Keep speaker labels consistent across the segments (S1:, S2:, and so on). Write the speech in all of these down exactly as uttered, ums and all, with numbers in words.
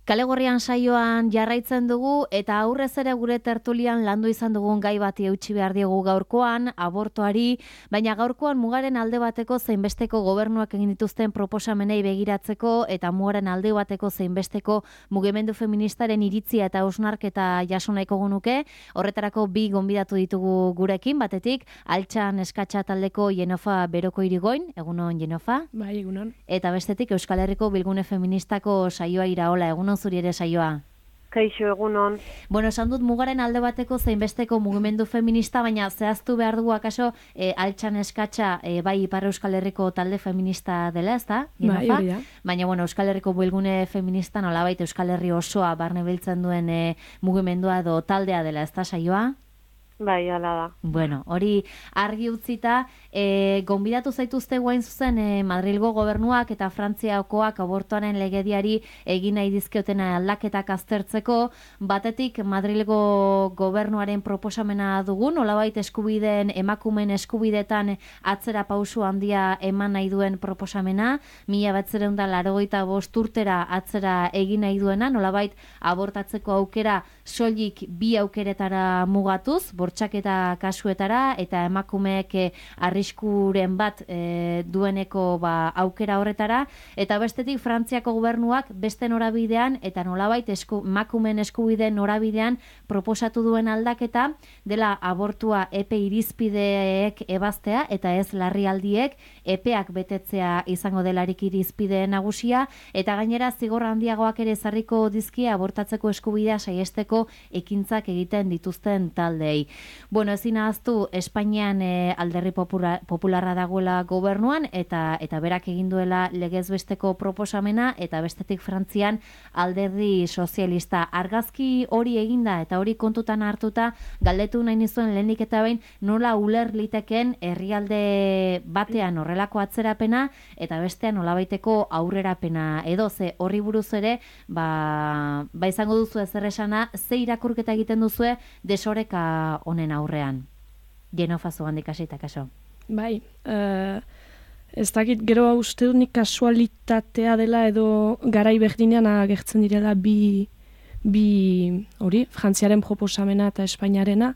S1: Kale Gorrian saioan jarraitzen dugu eta aurrez ere gure tertulian landu izan dugun gai bati eutsi behar diegu gaurkoan, abortoari, baina gaurkoan mugaren alde bateko zeinbesteko gobernuak egin dituzten proposamenei begiratzeko eta mugaren alde bateko zeinbesteko mugimendu feministaren iritzia eta hausnarketa jaso nahiko genuke. Horretarako bi gonbidatu ditugu gurekin, batetik Altxan Eskatxa taldeko Jenofa Beroko Irigoin, egunon Jenofa?
S2: Bai, egunon.
S1: Eta bestetik Euskal Herriko Bilgune Feministako saioa Iraola, egunon zuri ere saioa.
S3: Kaixo, egunon.
S1: Bueno, esan dut mugaren alde bateko zeinbesteko mugimendu feminista, baina zehaztu behar dugu akaso e, Altxan Eskatxa e, bai Ipar Euskal Herriko talde feminista dela, ez da?
S2: Bai, hori da.
S1: Baina, bueno, Euskal Herriko Bilgune Feminista nolabait Euskal Herri osoa barne biltzen duen e, mugimendua edo taldea dela, ez da saioa?
S3: Bai, ala da.
S1: Bueno, hori argi utzita, e, gonbidatu zaituzte guain zuzen e, Madrilgo gobernuak eta Frantziakoak abortoaren legediari egin nahi dizkioten aldaketak aztertzeko, batetik Madrilgo gobernuaren proposamena dugu, nolabait eskubideen, emakumeen eskubidetan atzera pausu handia eman nahi duen proposamena, mila batziehun eta laurogeita bost urtera atzera egin nahi duena, nolabait abortatzeko aukera soilik bi aukeretara mugatuz, bortxaketa kasuetara eta emakumeek e, arriskuren bat e, dueneko ba, aukera horretara, eta bestetik Frantziako gobernuak beste norabidean eta nolabait esku, emakumeen eskubideen norabidean proposatu duen aldaketa dela abortua epe irizpideek ebaztea eta ez larrialdiek epeak betetzea izango delarik irizpide nagusia, eta gainera zigor handiagoak ere ezarriko dizkie abortatzeko eskubidea saiesteko ekintzak egiten dituzten taldei. Bueno, ezin ahaztu Espainian e, alderri popula, popularra dagoela gobernuan eta eta berak egin duela legez besteko proposamena, eta bestetik Frantzian alderdi sozialista. Argazki hori eginda eta hori kontutan hartuta galdetu nahi nizuen lehenik eta behin nola uler liteken herrialde batean horrelako atzerapena eta bestean nolabaiteko aurrerapena edo ze horri buruz ere ba, ba izango duzu ezer esana, ze irakurketa egiten duzue desoreka honen aurrean. Jenofa zugandik hasita kaso.
S2: Bai, uh, ez dakit gero uste dut nik kasualitatea dela edo garai berdinean agertzen direla bi, bi hori, Frantziaren proposamena eta Espainiarena.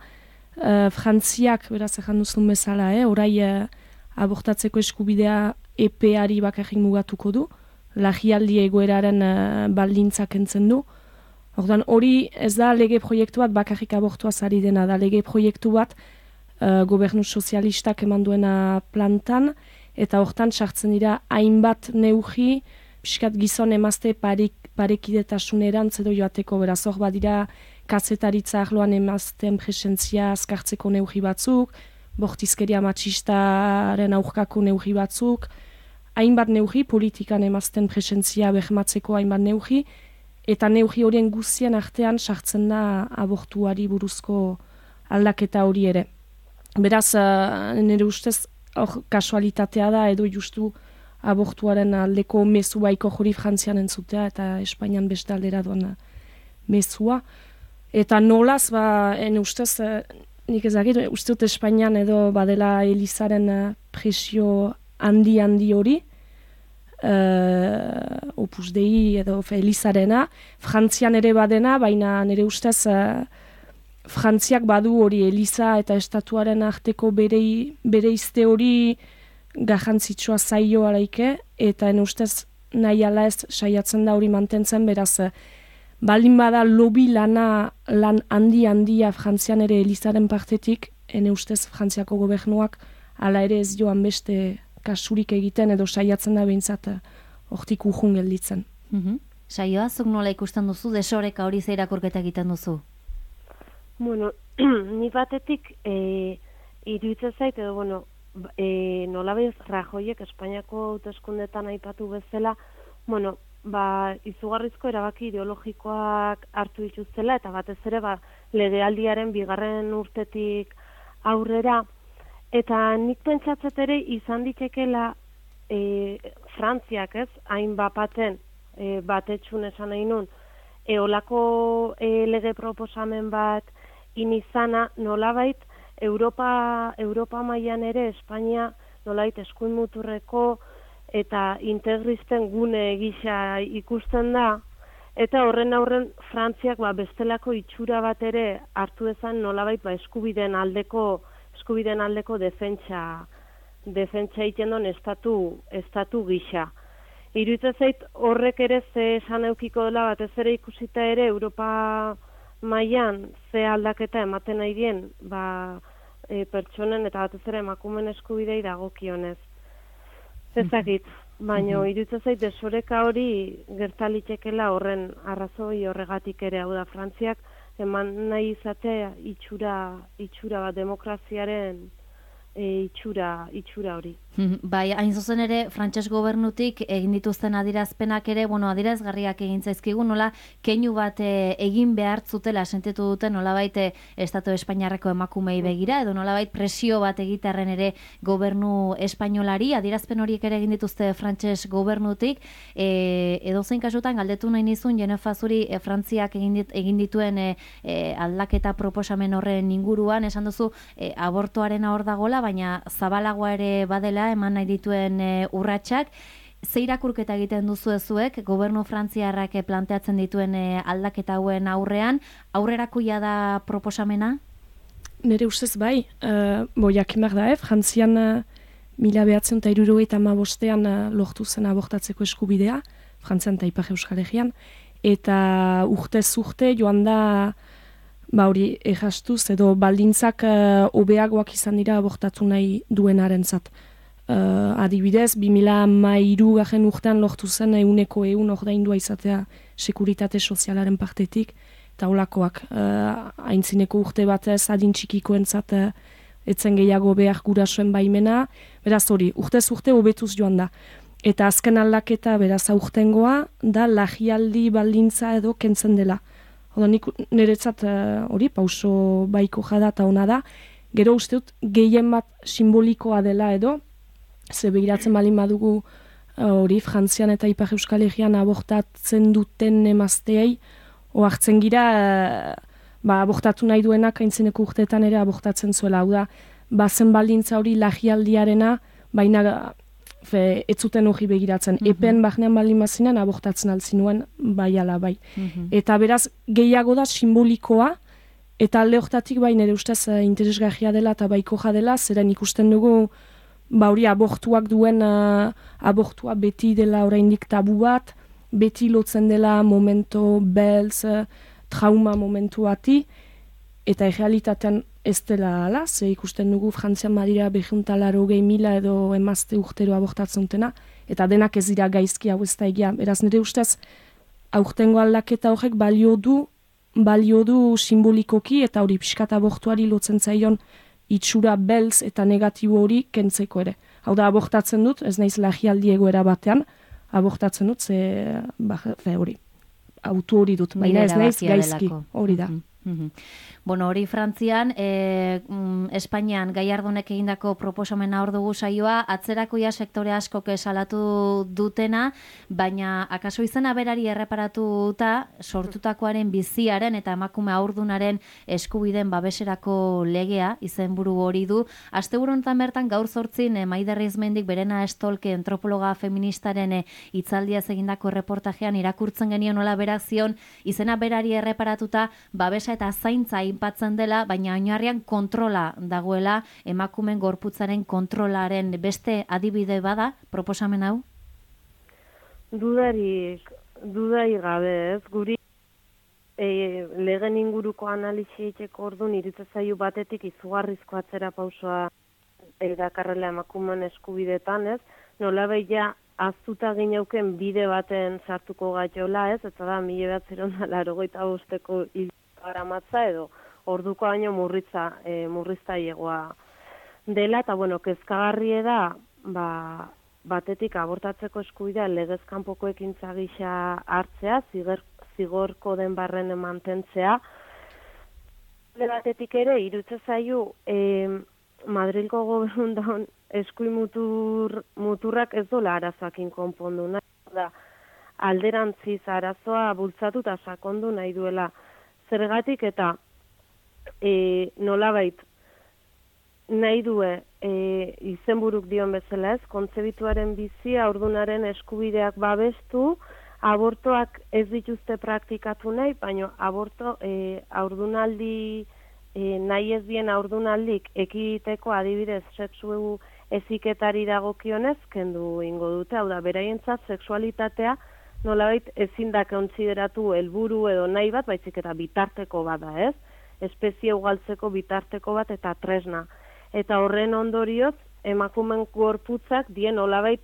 S2: Uh, Frantziak, beraz ejan duzun bezala, eh, orai uh, abortatzeko eskubidea epeari bakarrik mugatuko du, larrialdi egoeraren uh, baldintzak entzen du. Ordan hori ez da lege proiektu bat bakarrik abortuaz ari dena, da lege proiektu bat uh, gobernu sozialistak eman duena plantan, eta hortan sartzen dira hainbat neurri, pixkat gizon emazte parik, parekidetasunerantz edo joateko, beraz hor badira kazetaritza arloan emazten presentzia azkartzeko neurri batzuk, bortizkeria matxistaren aurkako neurri batzuk, hainbat neurri, politikan emazten presentzia bermatzeko hainbat neurri, eta neurri horien guztien artean sartzen da abortuari buruzko aldaketa hori ere. Beraz, uh, nire ustez, hor kasualitatea da, edo justu abortuaren aldeko mezu baiko hori Frantzian entzutea, eta Espainian beste aldera duan mezua. Eta nolaz, ba, nire ustez, uh, nik ezagir, uste dut Espainian edo badela Elizaren uh, presio handi-handi hori, Uh, Opus Dei edo Elizarena, Frantzian ere badena, baina nire ustez uh, Frantziak badu hori Eliza eta estatuaren arteko berei, bereizte hori garrantzitsua zaio araike, eta nire ustez nahi ala ez saiatzen da hori mantentzen, beraz uh, baldin bada lobi lana lan handi-handia Frantzian ere Elizaren partetik, nire ustez Frantziako gobernuak ala ere ez joan beste kasurik egiten edo saiatzen da behintzat hortik urrun gelditzen.
S1: Mm-hmm. Saioa, zuk nola ikusten duzu, desoreka hori ze irakurketa egiten duzu?
S3: Bueno, ni batetik e, iruditzen zait, edo, bueno, e, nola bez Rajoyek Espainiako hauteskundetan aipatu bezala, bueno, ba, izugarrizko erabaki ideologikoak hartu dituztela, eta batez ere, ba, legealdiaren bigarren urtetik aurrera. Eta nik pentsatzet ere izan ditekela e, Frantziak, ez, hain bapaten e, batetxun esan nahi nun, eolako e, lege proposamen bat inizana nolabait Europa, Europa mailan ere Espainia nolabait eskuin muturreko eta integristen gune gisa ikusten da, Eta horren aurren Frantziak ba, bestelako itxura bat ere hartu dezan nolabait ba, eskubideen aldeko eskubideen aldeko defentsa defentsa egiten duen estatu, estatu gisa. Iruditzen zait horrek ere ze esan eukiko dela batez ere ikusita ere Europa mailan ze aldaketa ematen nahi dien ba, e, pertsonen eta batez ere emakumeen eskubidei dagokionez. Ezagit, baina iruditzen zait desoreka hori gertalitekela horren arrazoi horregatik ere, hau da Frantziak eman nahi izatea itxura, itxura bat demokraziaren e, itxura, itxura hori.
S1: Bai, hain zuzen ere, frantses gobernutik egin dituzten adirazpenak ere, bueno, adirazgarriak egin zaizkigu, nola keinu bat e, egin behar zutela sentitu duten nolabait Estatu Espainiarreko emakumei begira, edo nolabait presio bat egitearren ere gobernu espainolari, adirazpen horiek ere egin dituzte frantses gobernutik, e, edo zein kasutan galdetu nahi nizun, Jenefa zuri e, Frantziak egin, dit, egin dituen e, e, aldaketa proposamen horren inguruan, esan duzu e, abortoaren hor dagola, baina zabalagoa ere badela, eman nahi dituen e, urratsak. Ze irakurketa egiten duzu ezuek, gobernu frantziarrak planteatzen dituen e, aldaketa hauen aurrean, aurrerakoia da proposamena?
S2: Nere ustez bai, uh, bo jakimak da, eh? Frantzian uh, mila behatzen eta hirurogeita hamabostean uh, lortu zen abortatzeko eskubidea, Frantzian eta Ipar Euskal Herrian, eta urtez urte joan da ba hori errastuz edo baldintzak hobeagoak uh, izan dira abortatu nahi duenarentzat. Uh, adibidez, bi mila hamairu garen urtean lortu zen euneko eun ordaindua izatea sekuritate sozialaren partetik, eta holakoak uh, aintzineko urte batez adin txikikoentzat uh, etzen gehiago behar gurasoen baimena, beraz hori, urtez urte hobetuz joan da. Eta azken aldaketa beraz aurtengoa da lagialdi baldintza edo kentzen dela. Oda nik niretzat hori uh, pauso baiko jada eta ona da, gero uste dut gehien bat simbolikoa dela edo, ze behiratzen balin badugu hori uh, Frantzian eta Ipar Euskal Herrian abortatzen duten emazteei, ohartzen gira uh, ba, abortatu nahi duenak aintzineko urteetan ere abortatzen zuela, hau da, bazen baldintza hori lagialdiarena, baina fe, ez zuten hori begiratzen. Mm-hmm. Epen bahnean baldin bazinen abortatzen altzinuen bai ala bai. Mm-hmm. Eta beraz, gehiago da simbolikoa, eta alde hortatik bai nire ustez uh, interesgarria dela eta baiko dela, zeren ikusten dugu ba hori abortuak duen uh, abortua beti dela oraindik tabu bat, beti lotzen dela momento belz, uh, trauma momentu bati, eta errealitatean ez dela ala, ze ikusten dugu Frantzian badira behuntalaro gehi mila edo emazte urtero abortatzen dutena, eta denak ez dira gaizki hau ez da egia. Beraz nire ustez, aurtengo aldaketa horrek balio du, balio du simbolikoki, eta hori pixkat abortuari lotzen zaion itxura belz eta negatibo hori kentzeko ere. Hau da, abortatzen dut, ez naiz lagialdi egoera batean, abortatzen dut, ze, ba, fe, hori, autu hori dut, baina ez naiz gaizki, hori da.
S1: Mm-hmm. Bueno, hori Frantzian, e, mm, Espainian Gallardonek egindako proposamena hor dugu saioa, atzerakoia sektore askok salatu dutena, baina akaso izena berari erreparatuta sortutakoaren biziaren eta emakume haurdunaren eskubiden babeserako legea izenburu hori du. Asteburu honetan bertan gaur zortzin e, Maider Izmendik Berena Estolke antropologa feministaren e, hitzaldiaz egindako reportajean irakurtzen genion nola berak zion izena berari erreparatuta babesa eta zaintza inpatzen dela, baina oinarrian kontrola dagoela, emakumen gorputzaren kontrolaren beste adibide bada proposamen hau?
S3: Dudarik, dudai gabe ez, guri e, legen inguruko analisi egiteko orduan iruditzen zaigu batetik izugarrizko atzera pausoa erakarrela emakumen eskubidetan ez, nolabait ja aztuta gineuken bide baten sartuko gaiola ez, eta da mila bederatziehun eta laurogeita bosteko garamatza edo orduko baino murritza e, murriztailegoa dela, eta bueno, kezkagarrie da ba, batetik abortatzeko eskubidea legez kanpoko ekintza gisa hartzea, ziger, zigorko den barren mantentzea. Batetik ere iruditzen zaio e, Madrilgo gobernun eskuin mutur, muturrak ez dola arazoakin konpondu nahi, da alderantziz arazoa bultzatu eta sakondu nahi duela. Zergatik eta e, nolabait nahi due e, izenburuk dion bezala ez, kontzebituaren bizia, ordunaren eskubideak babestu, abortoak ez dituzte praktikatu nahi, baina aborto e, aurdunaldi, e, nahi ez dien aurdunaldik ekiteko adibidez sexu heziketari dagokionez kendu ingo dute, hau da, beraientzat sexualitatea nolabait ezin da kontsideratu helburu edo nahi bat, baizik eta bitarteko bada, ez? Espezie ugaltzeko bitarteko bat eta tresna. Eta horren ondorioz, emakumen gorputzak dien nolabait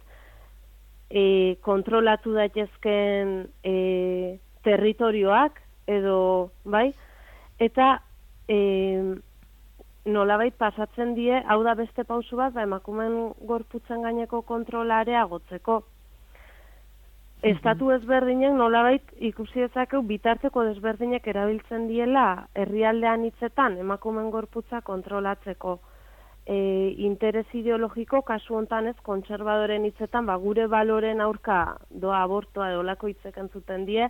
S3: e, kontrolatu daitezken e, territorioak edo, bai? Eta e, nolabait pasatzen die, hau da beste pausu bat, ba, emakumen gorputzen gaineko kontrola areagotzeko. Estatu ezberdinek nolabait ikusi dezakegu bitarteko desberdinek erabiltzen diela herrialdean hitzetan emakumen gorputza kontrolatzeko. E, interes ideologiko kasu hontan ez kontserbadoren hitzetan ba, gure baloren aurka doa abortoa edolako hitzek entzuten die,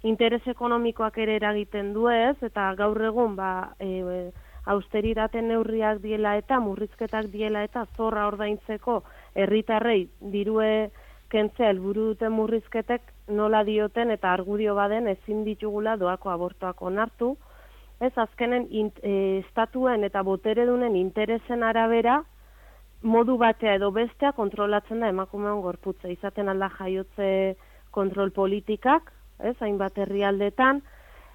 S3: interes ekonomikoak ere eragiten du ez, eta gaur egun ba, e, austeritate neurriak diela eta murrizketak diela eta zorra ordaintzeko herritarrei dirue kentzea helburu duten murrizketek nola dioten eta argudio baden ezin ditugula doako abortoak onartu. Ez azkenen in, e, estatuen eta boteredunen interesen arabera modu batea edo bestea kontrolatzen da emakumeon gorputza. Izaten alda jaiotze kontrol politikak, ez, hainbat herrialdetan,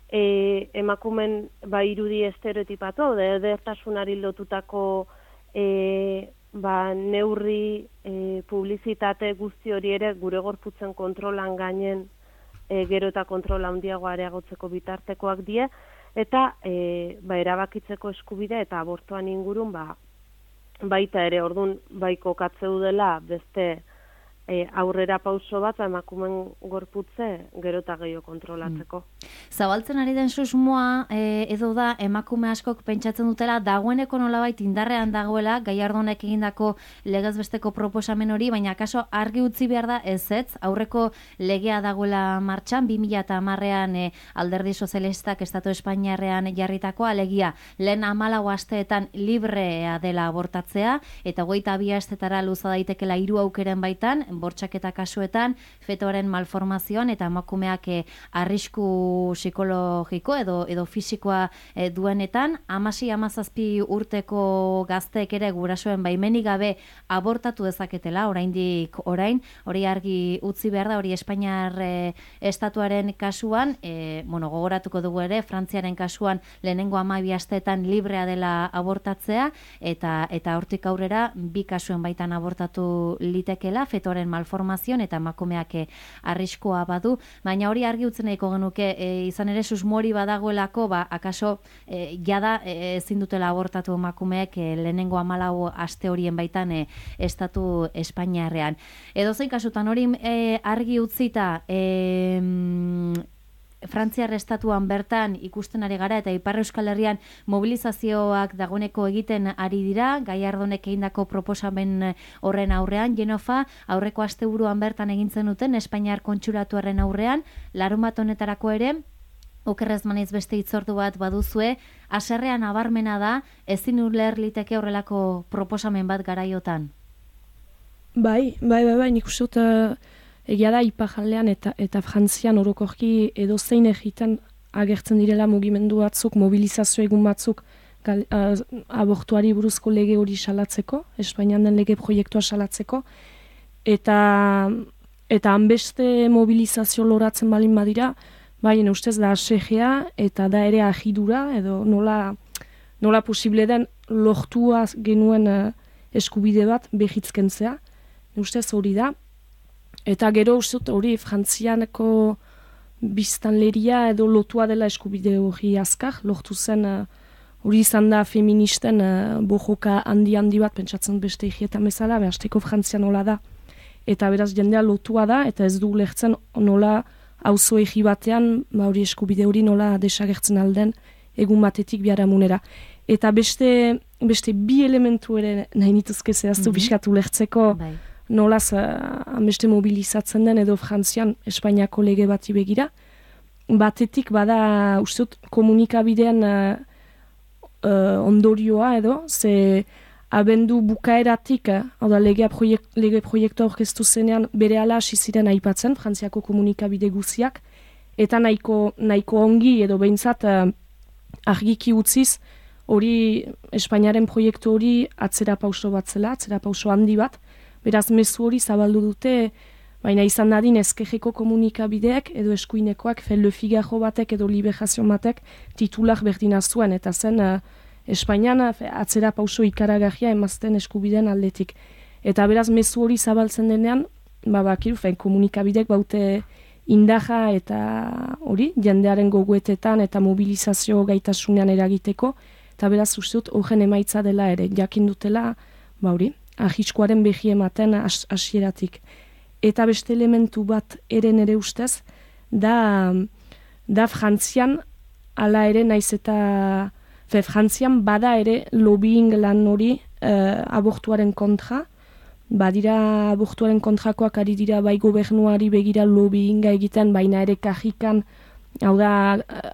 S3: e, emakumen ba irudi estereotipatu, edertasunari lotutako e, ba, neurri e, publizitate guzti hori ere gure gorputzen kontrolan gainen e, gero eta kontrola handiago areagotzeko bitartekoak die, eta e, ba, erabakitzeko eskubide eta abortuan ingurun ba, baita ere, ordun bai kokatzeu dela beste e, aurrera pauso bat emakumen gorputze gero eta gehiago kontrolatzeko.
S1: Mm. Zabaltzen ari den susmoa e, edo da emakume askok pentsatzen dutela dagoeneko nolabait indarrean dagoela Gallardonek egindako legezbesteko proposamen hori, baina akaso argi utzi behar da ezetz, aurreko legea dagoela martxan, bi mila hamarrean e, Alderdi Sozialistak Estatu Espainiarrean jarritakoa, alegia lehen hamalau asteetan librea dela abortatzea, eta hogeita bi astetara luza daitekela hiru aukeren baitan, bortxaketa kasuetan, fetoaren malformazioan eta emakumeak e, arrisku psikologiko edo edo fisikoa e, duenetan, hamasei hamazazpi urteko gazteek ere gurasoen baimenik gabe abortatu dezaketela, oraindik orain, hori argi utzi behar da, hori Espainiar e, estatuaren kasuan, e, bueno, gogoratuko dugu ere, Frantziaren kasuan lehenengo hamabi asteetan librea dela abortatzea, eta eta hortik aurrera bi kasuen baitan abortatu litekela, fetoaren malformazioan eta emakumeak e, arriskua badu, baina hori argi utzen nahiko genuke, e, izan ere susmori badagoelako, ba, akaso e, jada e, ezin dutela abortatu emakumeek e, lehenengo hamalau aste horien baitan e, estatu Espainiarrean. Edozein kasutan hori e, argi utzita e, Frantziar estatuan bertan ikusten ari gara eta Ipar Euskal Herrian mobilizazioak dagoeneko egiten ari dira, Gallardonek egindako proposamen horren aurrean, Genofa aurreko asteburuan bertan egintzen duten Espainiar kontsulatuaren aurrean, larunbat honetarako ere, okerrez manaiz beste hitzordu bat baduzue, haserrean nabarmena da, ezin uler liteke horrelako proposamen bat garaiotan.
S2: Bai, bai, bai, bai, nik uste dut egia da Iparraldean eta eta Frantzian orokorki edo zein egitan agertzen direla mugimendu batzuk, mobilizazio egun batzuk gal, uh, abortuari buruzko lege hori salatzeko, Espainian den lege proiektua salatzeko, eta eta hanbeste mobilizazio loratzen balin badira, bai, ustez da asegea eta da ere ahidura, edo nola, nola posible den lortua genuen uh, eskubide bat behitzkentzea, ustez hori da. Eta gero uste hori Frantzianeko biztanleria edo lotua dela eskubide hori azkar, lortu zen hori uh, izan da feministen uh, bojoka handi-handi bat, pentsatzen beste higietan bezala, behasteko Frantzian nola da. Eta beraz jendea lotua da, eta ez du lertzen nola auzo egi batean, ba hori eskubide hori nola desagertzen alden egun batetik biharamunera. Eta beste, beste bi elementu ere nahi nituzke zehaztu mm-hmm. biskatu lertzeko, bai. Nolaz hanbeste mobilizatzen den edo Frantzian Espainiako lege bati begira. Batetik bada uste dut komunikabidean uh, uh, ondorioa edo, ze abendu bukaeratik, eh, hau da lege, proiek, lege proiektua aurkeztu zenean bere ala hasi ziren aipatzen, Frantziako komunikabide guziak, eta nahiko, nahiko ongi edo behintzat eh, argiki utziz, hori Espainiaren proiektu hori atzera pauso bat zela, atzera pauso handi bat, beraz mezu hori zabaldu dute, baina izan dadin ezkejeko komunikabideak edo eskuinekoak, fel Le Figaro batek edo Liberazio batek titular berdina zuen, eta zen uh, Espainian atzera pauso ikaragarria emazten eskubideen aldetik. Eta beraz mezu hori zabaltzen denean, ba, bakiru, fein, komunikabidek baute indaja eta hori, jendearen goguetetan eta mobilizazio gaitasunean eragiteko, eta beraz uste dut horren emaitza dela ere, jakin dutela, ba hori, ahiskoaren behi ematen hasieratik. Eta beste elementu bat ere nere ustez, da, da Frantzian, ala ere naiz eta, fe, Frantzian bada ere lobbying lan hori eh, abortuaren kontra, badira abortuaren kontrakoak ari dira bai gobernuari begira lobbyinga egiten, baina ere kajikan, hau da,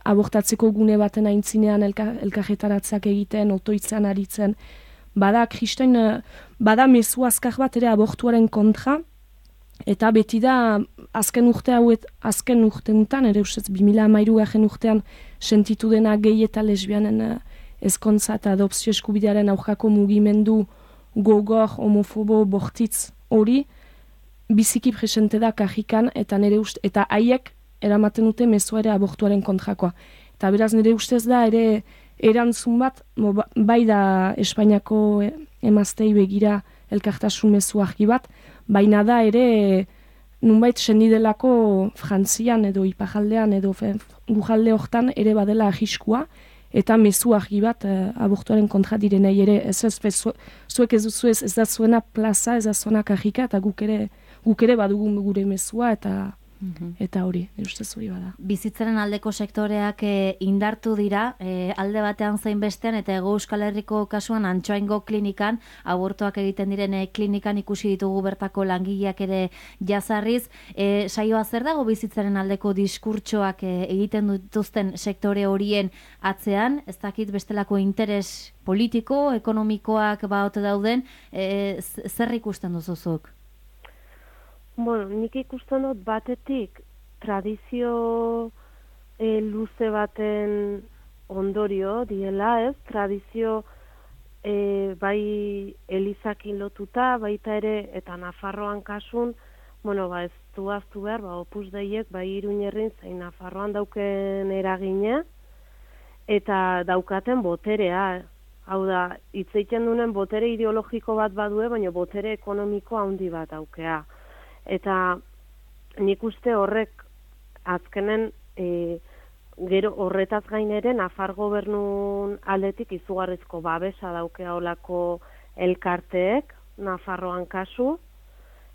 S2: abortatzeko gune baten aintzinean elka, elkarretaratzeak egiten, otoitzen aritzen, bada kristain, bada mezu azkar bat ere abortuaren kontra, eta beti da azken urte hauet, azken urteuntan, ere ustez bi mila hamairu garen urtean sentitu dena gehi eta lesbianen ezkontza eta adopzio eskubidearen aurkako mugimendu gogor, homofobo, bortitz hori, biziki presente da kajikan, eta nire ust, eta haiek eramaten dute mezua ere abortuaren kontrakoa. Eta beraz nire ustez da ere erantzun bat, bai da Espainiako emaztei begira elkartasun mezu argi bat, baina da ere nunbait sendidelako Frantzian edo ipajaldean edo gujalde hortan ere badela ahiskua, eta mezu argi bat eh, abortuaren kontra direnei ere, ez ez, zu, zuek ez duzu ez, ez da zuena plaza, ez da zuena kajika, eta guk ere, guk ere badugun gure mezua, eta mm-hmm. eta hori, ustez hori bada.
S1: Bizitzaren aldeko sektoreak e, indartu dira, e, alde batean zein bestean, eta Hego Euskal Herriko kasuan Antsoaingo klinikan, abortuak egiten diren e, klinikan ikusi ditugu bertako langileak ere jazarriz. E, saioa zer dago bizitzaren aldeko diskurtsoak e, egiten dituzten sektore horien atzean, ez dakit bestelako interes politiko, ekonomikoak baote dauden, e, zer ikusten duzuzuk?
S3: Bueno, nik ikusten dut batetik tradizio e, luze baten ondorio diela, ez? Tradizio e, bai Elizakin lotuta, baita ere, eta Nafarroan kasun, bueno, ba, ez du aztu behar, ba, Opus Deiek, bai Iruñerrin zein Nafarroan dauken eragina, eta daukaten boterea, hau da, hitz egiten duen botere ideologiko bat badue, baina botere ekonomiko handi bat daukea. Eta nik uste horrek azkenen e, gero horretaz gain ere Nafar gobernun aldetik izugarrizko babesa daukea olako elkarteek Nafarroan kasu,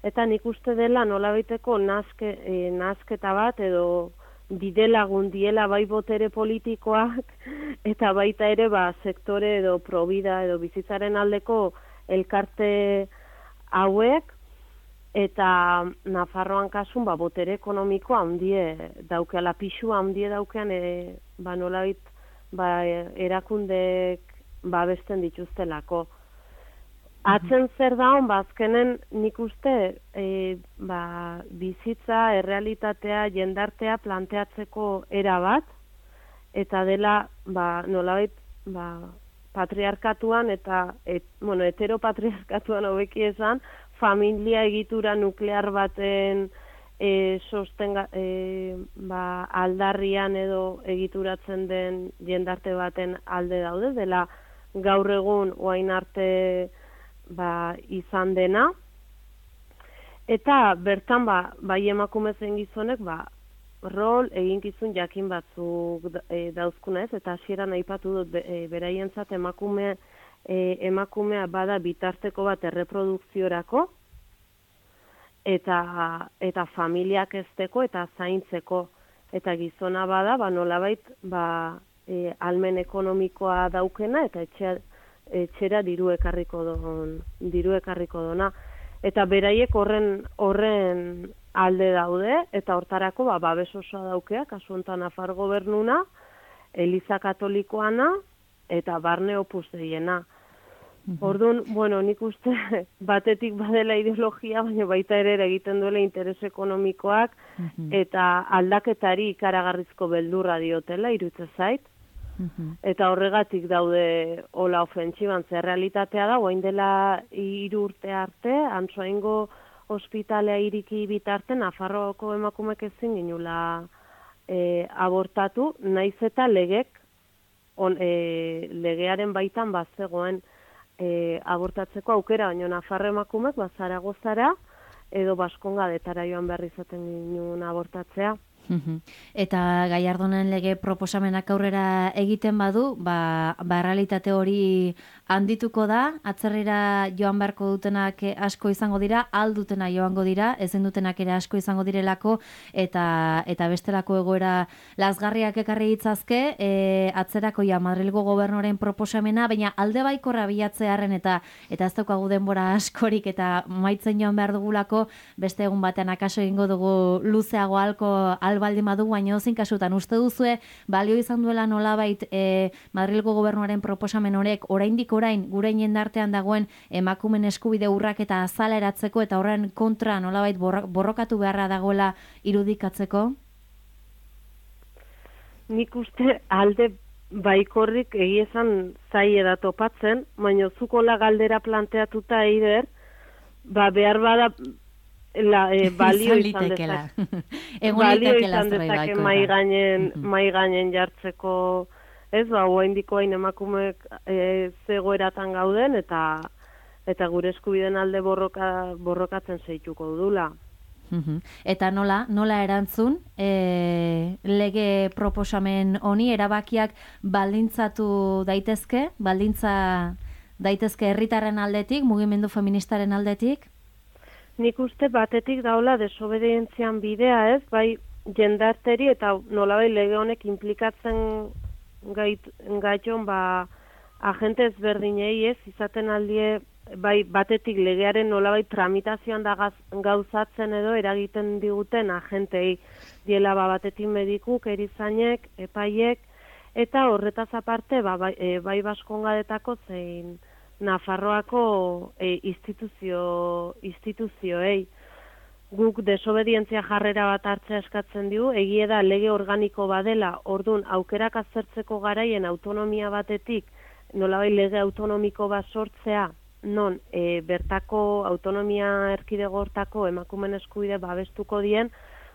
S3: eta nik uste dela nolabaiteko nazke, e, nazketa bat edo bidelagun diela bai botere politikoak eta baita ere ba sektore edo probida edo bizitzaren aldeko elkarte hauek, eta Nafarroan kasun ba, botere ekonomikoa handie daukeala, pixua handie daukean e, ba, nolabait ba, erakundek babesten dituztelako. Atzen zer da hon, ba, azkenen nik uste e, ba, bizitza, errealitatea, jendartea planteatzeko era bat, eta dela ba, nolabait ba, patriarkatuan eta et, bueno, heteropatriarkatuan hobeki esan, familia egitura nuklear baten e, sostenga, e, ba, aldarrian edo egituratzen den jendarte baten alde daude, dela gaur egun oain arte ba, izan dena. Eta bertan ba, bai emakumezen gizonek ba, rol eginkizun jakin batzuk e, dauzkuna ez, eta hasieran aipatu dut e, beraientzat emakume E, emakumea bada bitarteko bat erreprodukziorako eta, eta familiak ezteko eta zaintzeko, eta gizona bada ba, nolabait ba, e, almen ekonomikoa daukena eta etxea, etxera diru ekarriko don, diru ekarriko dona, eta beraiek horren horren alde daude, eta hortarako ba, babes osoa daukea, kasu honetan Nafar gobernuna, Eliza Katolikoana eta barne Opus Deiena. Orduan, bueno, nik uste batetik badela ideologia, baina baita ere egiten duela interes ekonomikoak eta aldaketari ikaragarrizko beldurra diotela, iruditzen zait. Eta horregatik daude hola ofentsiban, zer realitatea da, orain dela hiru urte arte, Antsoaingo ospitalea iriki bitarte, Nafarroako emakumek ezin ginula e, abortatu, naiz eta legek, on, e, legearen baitan bazegoen e, abortatzeko aukera, baina Nafarro emakumek ba, Zaragozara edo Baskongadetara joan behar izaten ginen abortatzea.
S1: Eta Gallardonen lege proposamenak aurrera egiten badu, ba, ba realitate hori handituko da, atzerrira joan beharko dutenak asko izango dira, aldutena joango dira, ezin dutenak ere asko izango direlako, eta eta bestelako egoera lazgarriak ekarri ditzazke, e, atzerako ja Madrilgo gobernuaren proposamena, baina alde baikorra bilatzearen eta eta ez daukagu denbora askorik eta maitzen joan behar dugulako, beste egun batean akaso egingo dugu luzeago alko baldin badu, baina ozin kasutan uste duzue balio izan duela nolabait e, Madrilgo gobernuaren proposamen horrek oraindik orain gure jendartean dagoen emakumen eskubide urrak eta azaleratzeko eta horren kontra nolabait borrokatu beharra dagoela irudikatzeko?
S3: Nik uste alde baikorrik egiezan zai eda topatzen, baina zukola galdera planteatuta eider, ba behar bada La, eh, balio izan dezake. Balio izan dezake mai gainen, mai gainen jartzeko, ez, ba, oraindiko hain emakumeek e, zegoeratan gauden, eta eta gure eskubideen alde borroka, borrokatzen zeituko dudula.
S1: Eta nola, nola erantzun, e, lege proposamen honi, erabakiak baldintzatu daitezke, baldintza daitezke herritarren aldetik, mugimendu feministaren aldetik?
S3: Nik uste batetik daula desobedientzian bidea, ez, bai jendarteri eta nolabai lege honek implikatzen gait, gaiton ba agente ezberdinei, ez, izaten aldie bai batetik legearen nolabai tramitazioan da gaz, gauzatzen edo eragiten diguten agentei diela ba batetik medikuk, erizainek, epaiek, eta horretaz aparte ba, bai, e, bai Baskongadetako zein Nafarroako e, instituzio, instituzioei. Guk desobedientzia jarrera bat hartzea eskatzen digu, egie da lege organiko badela, ordun aukerak aztertzeko garaien autonomia batetik, nolabai lege autonomiko bat sortzea, non e, bertako autonomia erkidego hortako emakumen eskubide babestuko dien,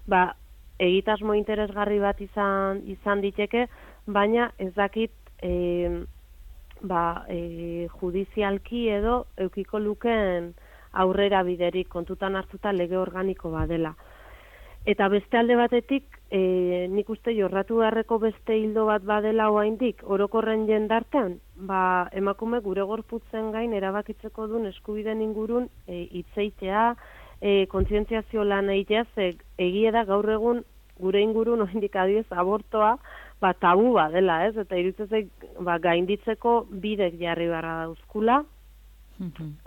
S3: ba, egitasmo interesgarri bat izan, izan diteke, baina ez dakit e, ba, e, judizialki edo eukiko luken aurrera biderik kontutan hartuta lege organiko badela. Eta beste alde batetik, e, nik uste jorratu beharreko beste hildo bat badela oraindik orokorren jendartean, ba, emakume gure gorputzen gain erabakitzeko duen eskubideen ingurun e, hitzeitea, e, kontzientziazio lan egitea, ze egie da gaur egun gure ingurun oraindik adibidez abortoa, ba, tabu badela, ez? Eta iruditzen ba, gainditzeko bidek jarri beharra dauzkula.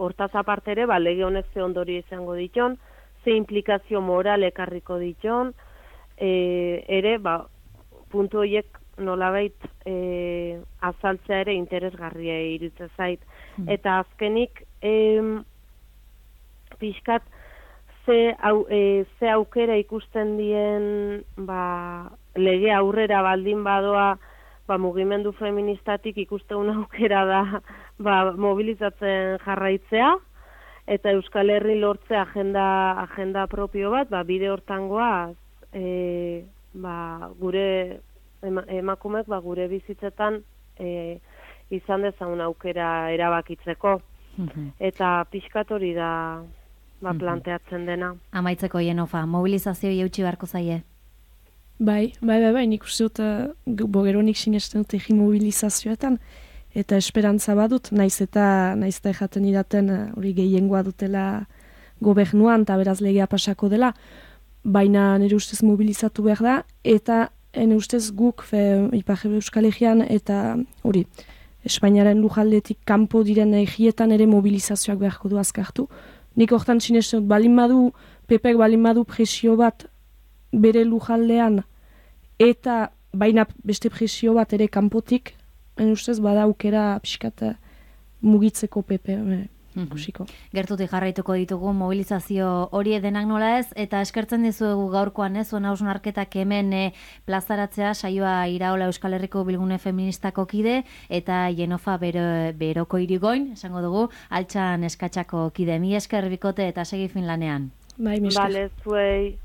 S3: Hortaz aparte ere, ba, lege honek ze ondorio izango diton, ze implikazio moral ekarriko diton, e, ere, ba, puntu horiek nolabait e, azaltzea ere interesgarria iruditzen zait. Eta azkenik, e, pixkat, ze, au, e, ze aukera ikusten dien, ba, lege aurrera baldin badoa, ba, mugimendu feministatik ikusten aukera da ba, mobilizatzen jarraitzea, eta Euskal Herri lortzea agenda, agenda propio bat, ba, bide hortangoaz, e, ba, gure ema, emakumek ba, gure bizitzetan e, izan dezagun aukera erabakitzeko. Eta pixkat hori da ba, planteatzen dena.
S1: Amaitzeko Jenofa, mobilizazio eutxi beharko zaie?
S2: Bai, bai, bai, bai, nik uste dut, uh, bogeronik sinesten dut egin mobilizazioetan, eta esperantza badut, naiz eta naiz eta ejaten idaten hori uh, gehiengoa dutela gobernuan, eta beraz legea pasako dela, baina nire ustez mobilizatu behar da, eta nire ustez guk, fe, Ipar Euskal Herrian, eta hori, Espainiaren lujaldetik kanpo diren egietan ere mobilizazioak beharko du azkartu. Nik hortan sinesten dut, balin badu, Pepek balin badu presio bat, bere lujaldean, eta baina beste presio bat ere kanpotik, en ustez bada aukera pixkat mugitzeko pepe, e, ikusiko.
S1: Gertutik jarraituko ditugu mobilizazio hori denak nola ez, eta eskertzen dizuegu gaurkoan ez, zuen hausnarketak hemen e, plazaratzea saioa Iraola Euskal Herriko Bilgune Feministako kide, eta Jenofa bero, Beroko Irigoin, esango dugu, Altxan Eskatxako kide. Mi esker bikote eta segi fin lanean.
S2: Bai, mi esker.
S3: Bale, zuei.